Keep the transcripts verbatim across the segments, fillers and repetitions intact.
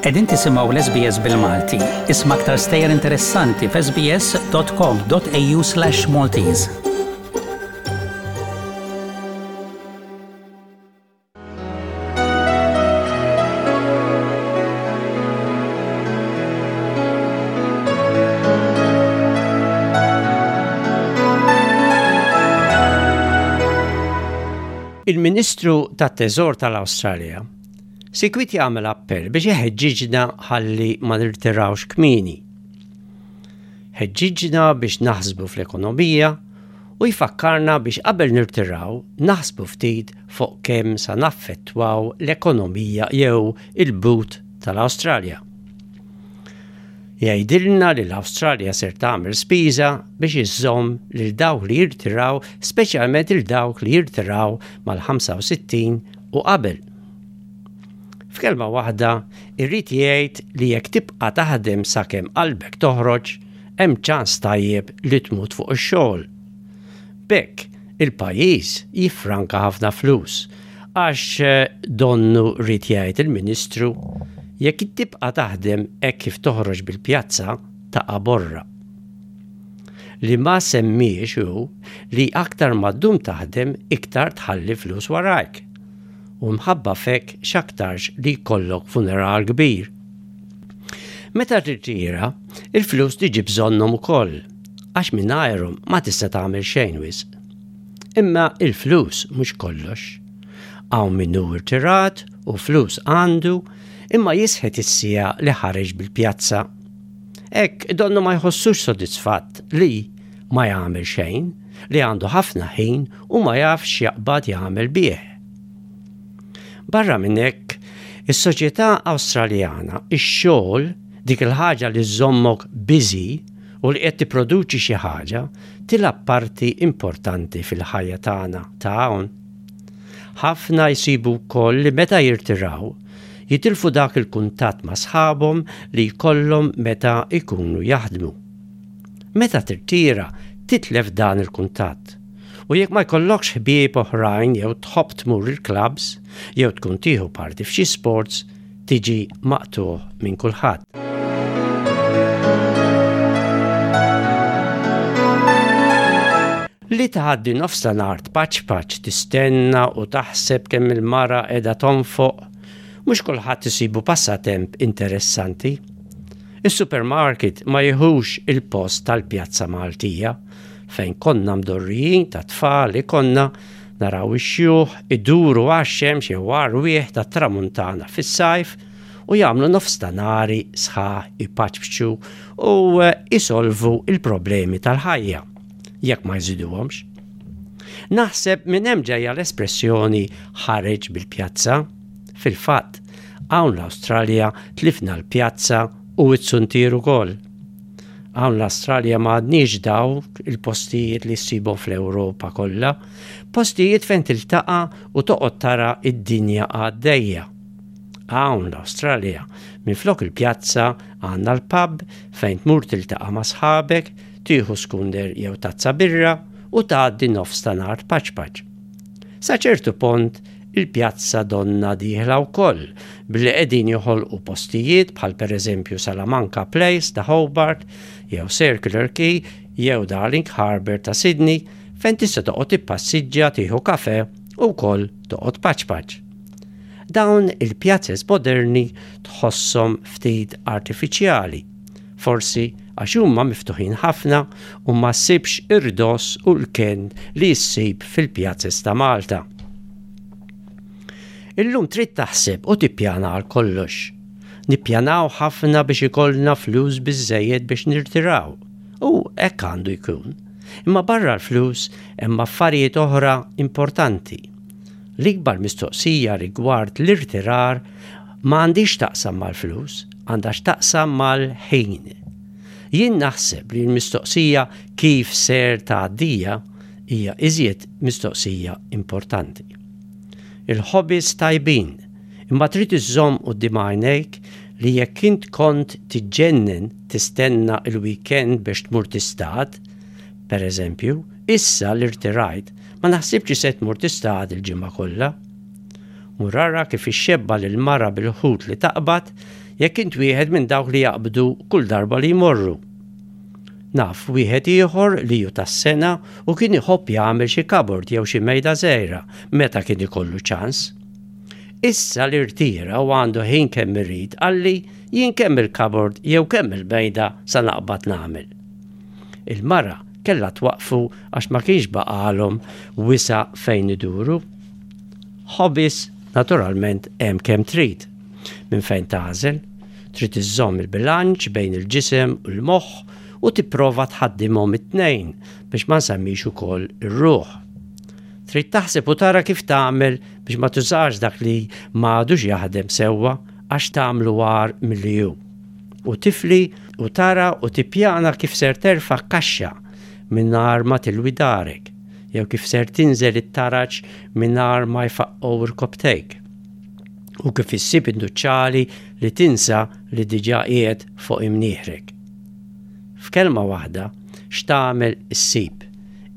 Qegħdin tisimgħu l-S B S bil-Malti. Isma' aktar stejjer interessanti f'S B S dot com dot A U slash Maltese. Il-Ministru tat-Teżor tal-Awstralja sikwit jagħmel appell biex iħeġġiġna ħalli ma nirtirawx kmieni. Ħeġġiġna biex naħsbu fl-ekonomija u jfakkarna biex qabel nirtiraw naħsbu ftit fuq kemm sa naffettwaw l-ekonomija jew il-but tal-Awstralja. Jgħidilna li l-Awstralja ser tagħmel spiża biex iżżomm lil dawk li jirtiraw, speċjalment il dawk li jirtiraw mal-ħamsa u sittin u qabel. F'kelma waħda, irrid jgħid li jekk tibqa' taħdem sakemm qalbek toħroġ, hemm ċans tajjeb li tmut fuq ix-xogħol. B'hekk, il-pajjiż jiffranka ħafna flus għax eh, donnu rrid jgħid il-Ministru, jekk tibqa' taħdem hekk kif toħroġ bil-pjazza taqa' borra. Li ma semmiex hu li aktar ma ddum taħdem, iktar tħalli flus warajk. U mħabba f'hekk x'aktarx li jkollok funeral kbir. Meta tirtira, il-flus tiġi bżonnhom ukoll, għax mingħajrhom ma tista' tagħmel xejn wisq. Imma il-flus mhux kollox. Hawn min hu irtirat u flus għandu, imma jisħet is-siegħa li ħareġ bil-pjazza. Hekk donnu ma jħossux sodisfatt li ma jagħmel xejn, li għandu ħafna ħin u ma jafx jaqbad jagħmel bih. Barra minn hekk, is-soċjetà Awstraljana, ix-xogħol, dik il-ħaġa li żommok busy u li qed tipproduċi xi ħaġa, tilgħab parti importanti fil-ħajja tagħna ta' hawn. Ħafna jsibu wkoll li meta jirtiraw, jitilfu dak il-kuntatt ma' sħabhom li jkollhom meta jkunu jaħdmu. Meta tirtira, titlef dan il-kuntatt. U jekk ma jkollokx ħbieb oħrajn jew tħobb tmur il-clubs jew tkun tieħu parti f'xi sports, tiġi maqtuħ minn kulħadd. Li tgħaddi nofs ta' nhar tpaċpaċ, tistenna u taħseb kemm il-mara qiegħda tonfoq, mhux kulħadd isibu passatemp interessanti. Is-supermarket ma jieħux il-post tal-pjazza Maltija fejn konna mdorrijin ta' tfal li konna naraw ix-xjuħ iduru għax-xemx jew għar-rwieħ ta' tramuntana fis-sajf u jagħmlu nofs ta' nhar sħaħ ipaċpċu u isolvu il-problemi tal-ħajja jekk ma jżiduhomx. Naħseb minn hemm ġejja l-espressjoni "ħareġ bil-pjazza". Fil-fatt, hawn l-Awstralja tlifna l-pjazza u t-suntier ukoll. Hawn l-Awstralja ma għandniex dawk il-postijiet li ssibhom fl-Ewropa kollha, postijiet fejn tiltaqa' u toqgħod tara id-dinja għaddejja. Hawn l-Awstralja, minflok il-pjazza għandna l-pub fejn tmur tiltaqa' ma' sħabek, tieħu skunder jew tazza birra u tgħaddi nofs ta' nhar paċpaċ. Sa ċertu punt il-pjazza donna dieħla wkoll billi qegħdin joħolqu postijiet bħal pereżempju Salamanca Place ta' Hobart jew Circular Quay jew Darling Harbour ta' Sydney, fejn tista' toqgħod tippassiġġa, tieħu kafe u wkoll toqgħod paċpaċ. Dawn il-pjazzes moderni tħosshom ftit artifiċjali, forsi għax huma miftuħin ħafna u ma ssibx ir-ridoss u l-ken li ssib fil-pjazzes ta' Malta. Illum trid taħseb u tippjana għal kollox. Nippjanaw ħafna biex ikollna flus biżejjed biex nirtiraw. U hekk għandu jkun. Imma barra l-flus hemm affarijiet oħra importanti. L-ikbar mistoqsija rigward l-irtirar ma għandix taqsam mal-flus, għandha x'taqsam mal-ħin. Jien naħseb li l-mistoqsija "kif ser tgħaddija" hija iżjed mistoqsija importanti. Il-hobbies tajbin, imma trid iżżomm quddiem għajnejk li jekk int kont tiġġennen tistenna il-weekend biex tmur tistad, per eżempju, issa li rtirajt ma naħsibx li se tmur tistad il-ġimgħa kollha. Mur ara kif ixxebba lil mara bil-ħut li taqbad. jekk int wieħed minn dawk li jaqbdu kull darba li jmorru. Naf wieħed ieħor li ju tas-sengħa u kien iħobb jagħmel xi cupboard jew xi mejda żgħira meta kien ikollu ċans. Issa li rtira u għandu ħin kemm irid qalli jien kemm il-cupboard jew kemm il-mejda sa naqbad nagħmel. Il-mara kellha twaqfu għax ma kienx baqalhom wisa' fejn iduru. Hobbies naturalment hemm kemm trid. Minn fejn tagħżel, trid iżżomm il-bilanċ bejn il-ġisem u l-moħħ u tipprova tħaddimhom it-tnejn biex ma nsemmix ukoll ir-ruħ. Trid taħseb u tara kif tagħmel biex ma tużax dak li m'għadux jaħdem sewwa għax tagħmlu agħar milli hu. U tifli u tara u tippjana kif ser terfa' kaxxa mingħajr ma tilwi darek, jew kif ser tinżel it-taraġ mingħajr ma jfaqqgħu rkopptejk. U kif issib id-nuċċali li tinsa li diġà qiegħed fuq imnieħrek. F'kelma waħda, x'tagħmel issib,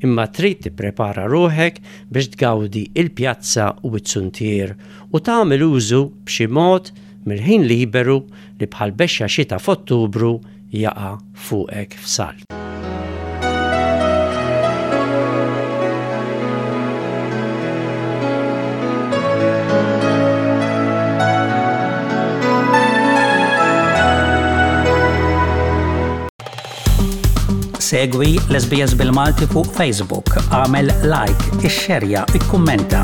imma trid tipprepara ruħek biex tgawdi il-pjazza u t-suntier u tagħmel użu b'xi mod mill-ħin liberu li bħal bexxa xita f'Ottubru jaqa' fuqek f'salt. Segwi l-S B S bil-Malti fuq Facebook, għamel like, ixxerja, ikkummenta.